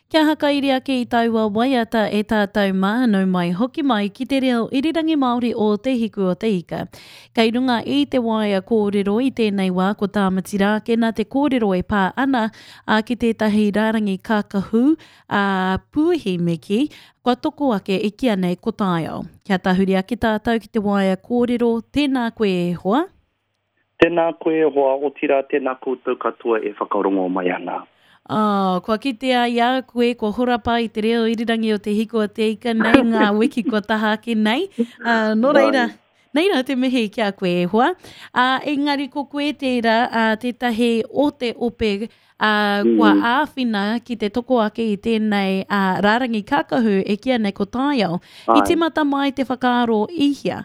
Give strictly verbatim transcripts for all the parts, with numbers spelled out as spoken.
Kia hakairi ake i taua waiata e tātou mā, nau mai hoki mai ki te reo irirangi Māori o Te Hiku o Te Ika. Kei runga i te waea kōrero i tēnei wā ko Tāmati Rākena te kōrero e pā ana a, ki tētahi rārangi kākahu a puihi me kī, kua toko ake e kīa nei ko Taiao. Kia tahuri ake tātou ki te waea kōrero, tēnā koe e hoa. Tēnā koe e hoa, otirā tēnā koutou katoa e whakarongo mai ana. Oh, kua kitea i a koe, kua horapa i te reo irirangi o Te Hiku o Te Ika nei ngā wiki kua taha ake nei. Uh, nō reira, nei rā te mihi ki a koe e hoa. Uh, engari ko koe tērā, uh, tētahi o te ope uh, kua mm. āwhina ki te toko ake i tēnei uh, rārangi kākahu e kīa nei ko Taiao. I tīmata mai te whakaaro i hea?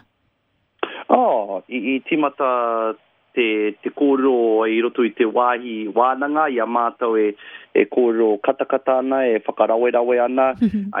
Oh, i, i tīmata te, te kōrero i roto i te wāhi wānanga, i a mātou e, e kōrero katakata ana, e whakarawerawe ana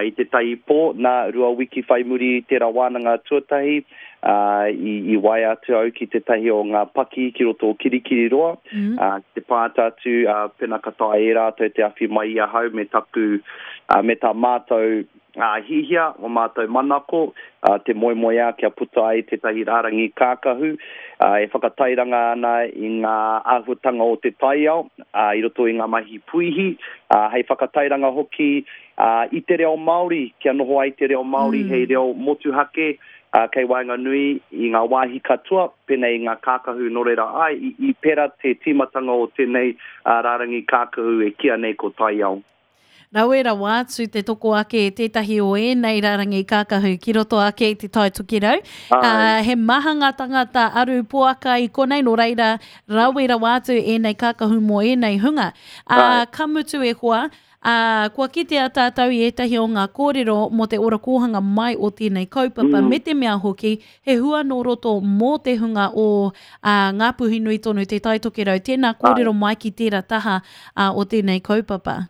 i te tahi pō, nā rua wiki whai muri i tērā wānanga tuatahi, uh, i, i waea atu au ki tētahi o ngā paki ki roto o Kirikiriroa, mm. uh, ki te pāta atu, uh, pena ka taea e rātou te awhi mai i ahau me taku, uh, me tā mātou uh, hihia, o mātou manako, uh, te moemoeā kia puta ai tētahi rārangi kākahu, uh, e whakatairanga ana i ngā āhuatanga o te taiao, uh, i roto i ngā mahi puihi, uh, hei whakatairanga hoki uh, i te reo Māori, kia noho ai te reo Māori mm. hei reo motuhake, uh, kei waenganui i ngā wāhi katoa, pēnei i ngā kākahu nō reira ai, i, i pera te tīmatanga o tēnei uh, rārangi kākahu e kīa nei ko Taiao. Rawe rawa atu te toko ake tētahi o ēnei rārangi kākahu ki roto ake i te Tai Tokerau. Uh, he maha ngā tangata aru poaka i konei, nō reira rawe rawa atu ēnei kākahu mō ēnei hunga. Uh, ka mutu e hoa, uh, kua kitea tātou i ētahi o ngā kōrero mō te ora kōhanga mai o tēnei kaupapa, mm. me te mea hoki, he hua nō roto mō te hunga o uh, Ngā Puhi Nui tonu te Tai Tokerau. Tēnā kōrero mai ki tērā taha uh, o tēnei kaupapa.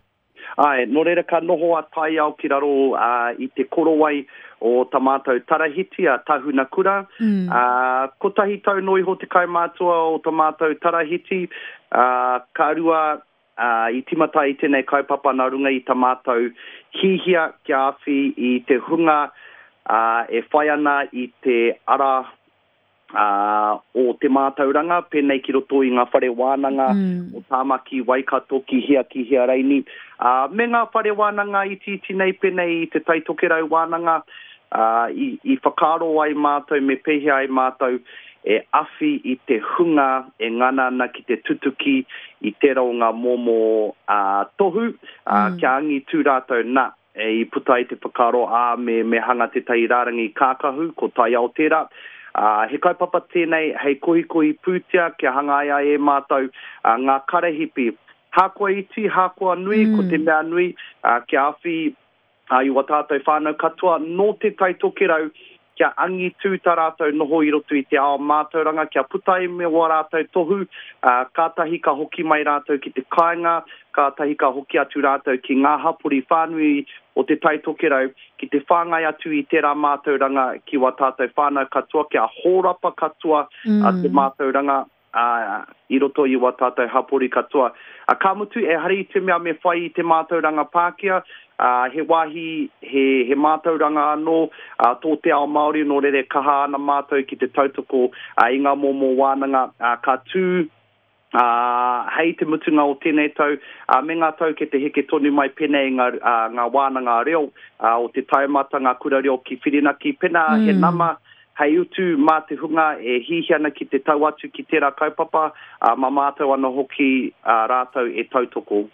Ai, nō reira ka noho a Taiao ki raro uh, i te korowai o tā mātou tarahiti, a Tahuna Kura. Mm. Uh, kotahi tau no iho te kaumātua o tā mātou tarahiti. Uh, ka rua uh, i tīmata i tēnei kaupapa nā runga i tā mātou hihia kia awhi i te hunga uh, e whai ana i te ara Uh, o te mātauranga, pēnei ki roto i ngā whare wānanga mm. o Tāmaki, Waikato, ki hea, ki hea reini. Uh, me ngā whare wānanga itiiti nei, pēnei i te Tai Tokerau wānanga, uh, i, i whakaaro ai mātou, me pēhea ai mātou e awhi i te hunga e ngana ana ki te tutuki i tērā o ngā momo uh, tohu, uh, mm. kia angitu rātou nā. E i puta i te whakaaro ā, me, me hanga tētahi rārangi kākahu, ko Taiao tērā. Uh, he kaupapa tēnei hei kohikohi pūtea kia hangaia e mātou uh, ngā karahipi. Hākoa iti, hākoa nui, mm. ko te mea nui, uh, kia awhi uh, i wā tātou whānau katoa nō te Tai Tokerau, kia angitu tā rātou noho i roto i te ao mātauranga, kia puta ai me wā rātou tohu, uh, kātahi ka hoki mai rātou ki te kāinga, kātahi ka hoki atu rātou ki ngā hapori whānui o te Tai Tokerau, ki te whāngai atu i tērā mātauranga ki wā tātou whānau katoa, kia hōrapa katoa mm. uh, te mātauranga uh, i roto i wā tātou hapori katoa. Uh, ka mutu, e hari i te mea me whai i te mātauranga Pākehā, uh, he wāhi, he, he mātauranga anō uh, tō te ao Māori, nō reira kaha ana mātou ki te tautoko uh, i ngā momo wānanga uh, ka tū Uh, hei te mutunga o tēnei tau, uh, me ngā tau ke te heke tonu mai pēnei ngā, uh, ngā wānanga reo uh, o te taumata, ngā kura reo ki Whirinaki. Pēnā mm. he nama hei utu mā te hunga e hihi ana ki te tau atu ki tērā kaupapa, uh, mā mātou ana hoki uh, rātou e tautoko.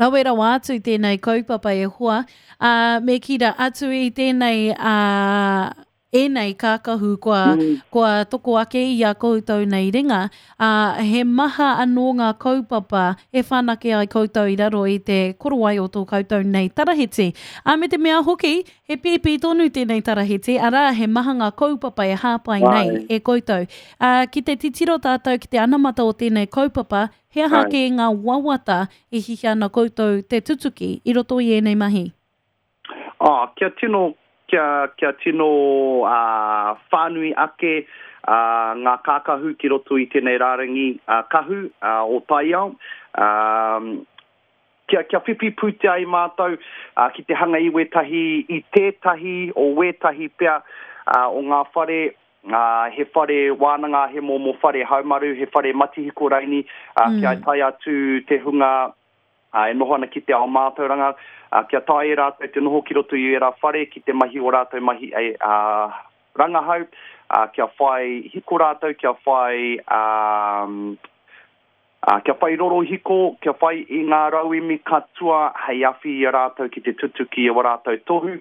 Rawe rawa atu tēnei kaupapa e hoa, uh, me kira atu i tēnei uh, ēnei kākahu kua, mm. kua toko ake i a koutou nei ringa, uh, he maha anō ngā kaupapa e whanake ai koutou i raro i te korowai o tō koutou nei tarahiti. Uh, me te mea hoki, he pīpī tonu tēnei tarahiti, arā he maha ngā kaupapa e hāpai nei e koutou. Uh, ki te titiro tātou ki te anamata o tēnei kaupapa, he aha kē ngā wawata e hihia ana koutou te tutuki i roto i ēnei mahi? Oh, kia tino kia, kia tino uh, whānui ake uh, ngā kākahu ki roto i tēnei rārangi uh, kahu uh, o Taiao. Um, kia, kia whiwhi pūtea ai mātou uh, ki te hanga i wētahi, i tētahi o wētahi pea uh, o ngā whare, uh, he whare wānanga, he momo whare haumaru, he whare matihiko raini, uh, mm. kia tae atu te hunga uh, e noho ana ki te ao mātauranga, uh, kia tae e rātou te noho ki roto i ērā whare, ki te mahi o rātou mahi e, uh, rangahau, uh, kia whai hiko rātou, kia whai... Um, Uh, kia whai rorohiko, kia whai i ngā rauemi katoa hei awhi i a rātou ki te tutuki i o rātou tohu.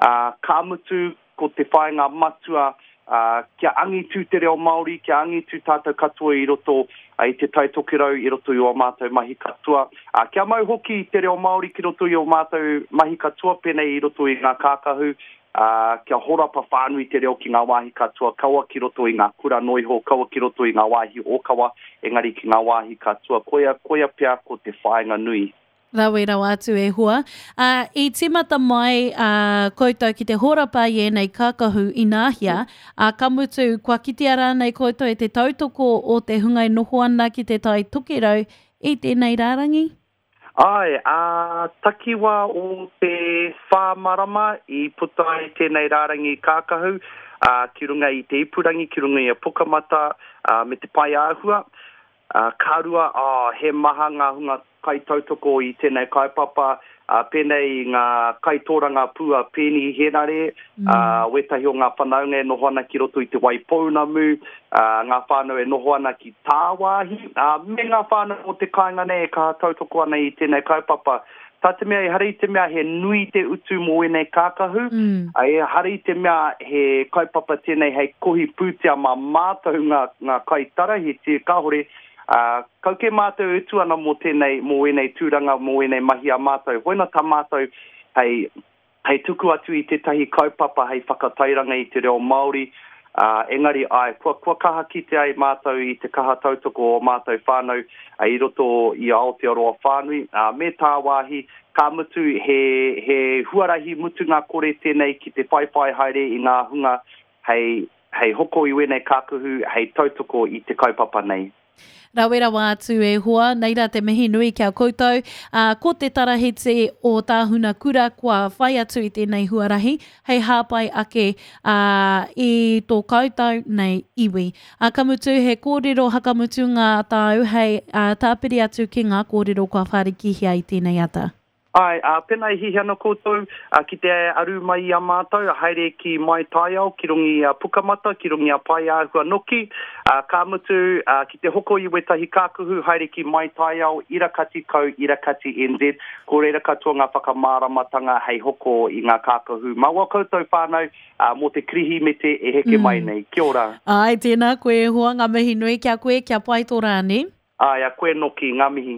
Uh, ka mutu ko te whāinga matua, uh, kia angitu te reo Māori, kia angitu tātou katoa i roto uh, i te Tai Tokerau, i roto i o mātou mahi katoa. Uh, kia mau hoki te reo Māori ki roto i o mātou mahi katoa, pēnei i roto i ngā kākahu, Uh, kia horapa whānui te reo ki ngā wāhi katoa, kaua ki roto i ngā kura noiho, kaua ki roto i ngā wāhi ōkawa, engari ki ngā wāhi katoa. Koia, koia pea ko te whāinga nui. Rawe rawa atu e hoa. Uh, i tīmata mai uh, koutou ki te horapa i ēnei kākahu ināhia, uh, ka mutu, kua kitea rānei koutou e te tautoko o te hunga e noho ana ki te Tai Tokerau i tēnei rārangi? Ai, a takiwa o te whā marama i puta ai tēnei rārangi kākahu, a, ki runga i te ipurangi, ki runga i a Pukamata, a, me te pae āhua. A, ka rua, a, he maha ngā hunga kaitautoko i tēnei kaupapa, a, pēnei i ngā kaitoranga pū a Pēni Henare, mm. a, wētahi o ngā whanaunga e noho ana ki roto i te Waipounamu, a, ngā whānau e noho ana ki tāwāhi, a, me ngā whānau o te kāinga nei e kaha tautoko ana i tēnei kaupapa. Tā te mea, ehara i te mea he nui te utu mō ēnei kākahu, mm. a, ehara i te mea he kaupapa tēnei hei kohi pūtea mā mātou ngā, ngā kaitarahiti, kāhore, Uh, kau ke mātou utu ana mō tēnei, mō ēnei tūranga, mō ēnei mahi a mātou. Hoina tā mātou hei, hei tuku atu i tētahi kaupapa hei whakatairanga i te reo Māori, uh, engari ai, kua, kua kaha kite ai mātou i te kaha tautoko o mātou whānau uh, i roto i Aotearoa whānui, uh, me tāwāhi, ka mutu he, he huarahi mutunga kore tēnei ki te whaiwhai haere i ngā hunga hei, hei hoko i wēnei kākahu, hei tautoko i te kaupapa nei. Rawe rawa atu e hoa, nei rā te mihi nui kia koutou. Uh, ko te tarahiti o Tāhuna Kura kua whai atu i tēnei huarahi, hei hāpai ake uh, i tō koutou nei iwi. Uh, ka mutu he kōrero hakamutu ngā tāu hei uh, tāpiri atu ki ngā kōrero kua whārikihia i tēnei ata. Ai, uh, pēnā i hihi ana koutou uh, ki te aru mai i a mātou, haere ki Mai Taiao, ki runga i a Pukamata, ki runga i a Pae Āhua Noki, uh, ka mutu uh, ki te hoko i wētahi kākahu, haere ki Mai Taiao, irakati kau, irakati N Z, ko reira katoa ngā whakamāramatanga hei hoko i ngā kākahu. Mā wā koutou whānau, uh, mō te Kirihimete e heke mm. mai nei. Kia ora. Ai, tēnā koe hoa, ngā mihi nui kia koe, kia pai tō rāne. Ai, a koe noki, ngā mihi.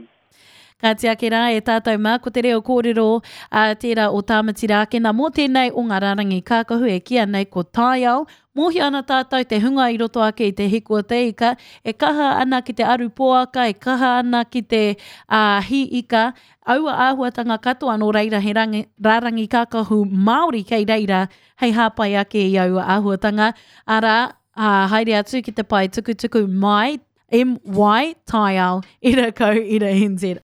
Ka tiake rā e tātou mā, ko te reo kōrero a tērā o Tāmati Rākena mō tēnei o ngā rārangi kākahu e kīa nei ko Taiao. Mōhio ana tātou te hunga i roto ake i te hiko te ika, e kaha ana ki te aru poaka, e kaha ana ki te uh, hi ika, aua āhuatanga katoa nō reira he rangi, rārangi kākahu Māori kei reira hei hāpai ake i aua āhuatanga. Arā, uh, haere atu ki te pae tukutuku mai, M Y Taiao, ira kau, ira N Z.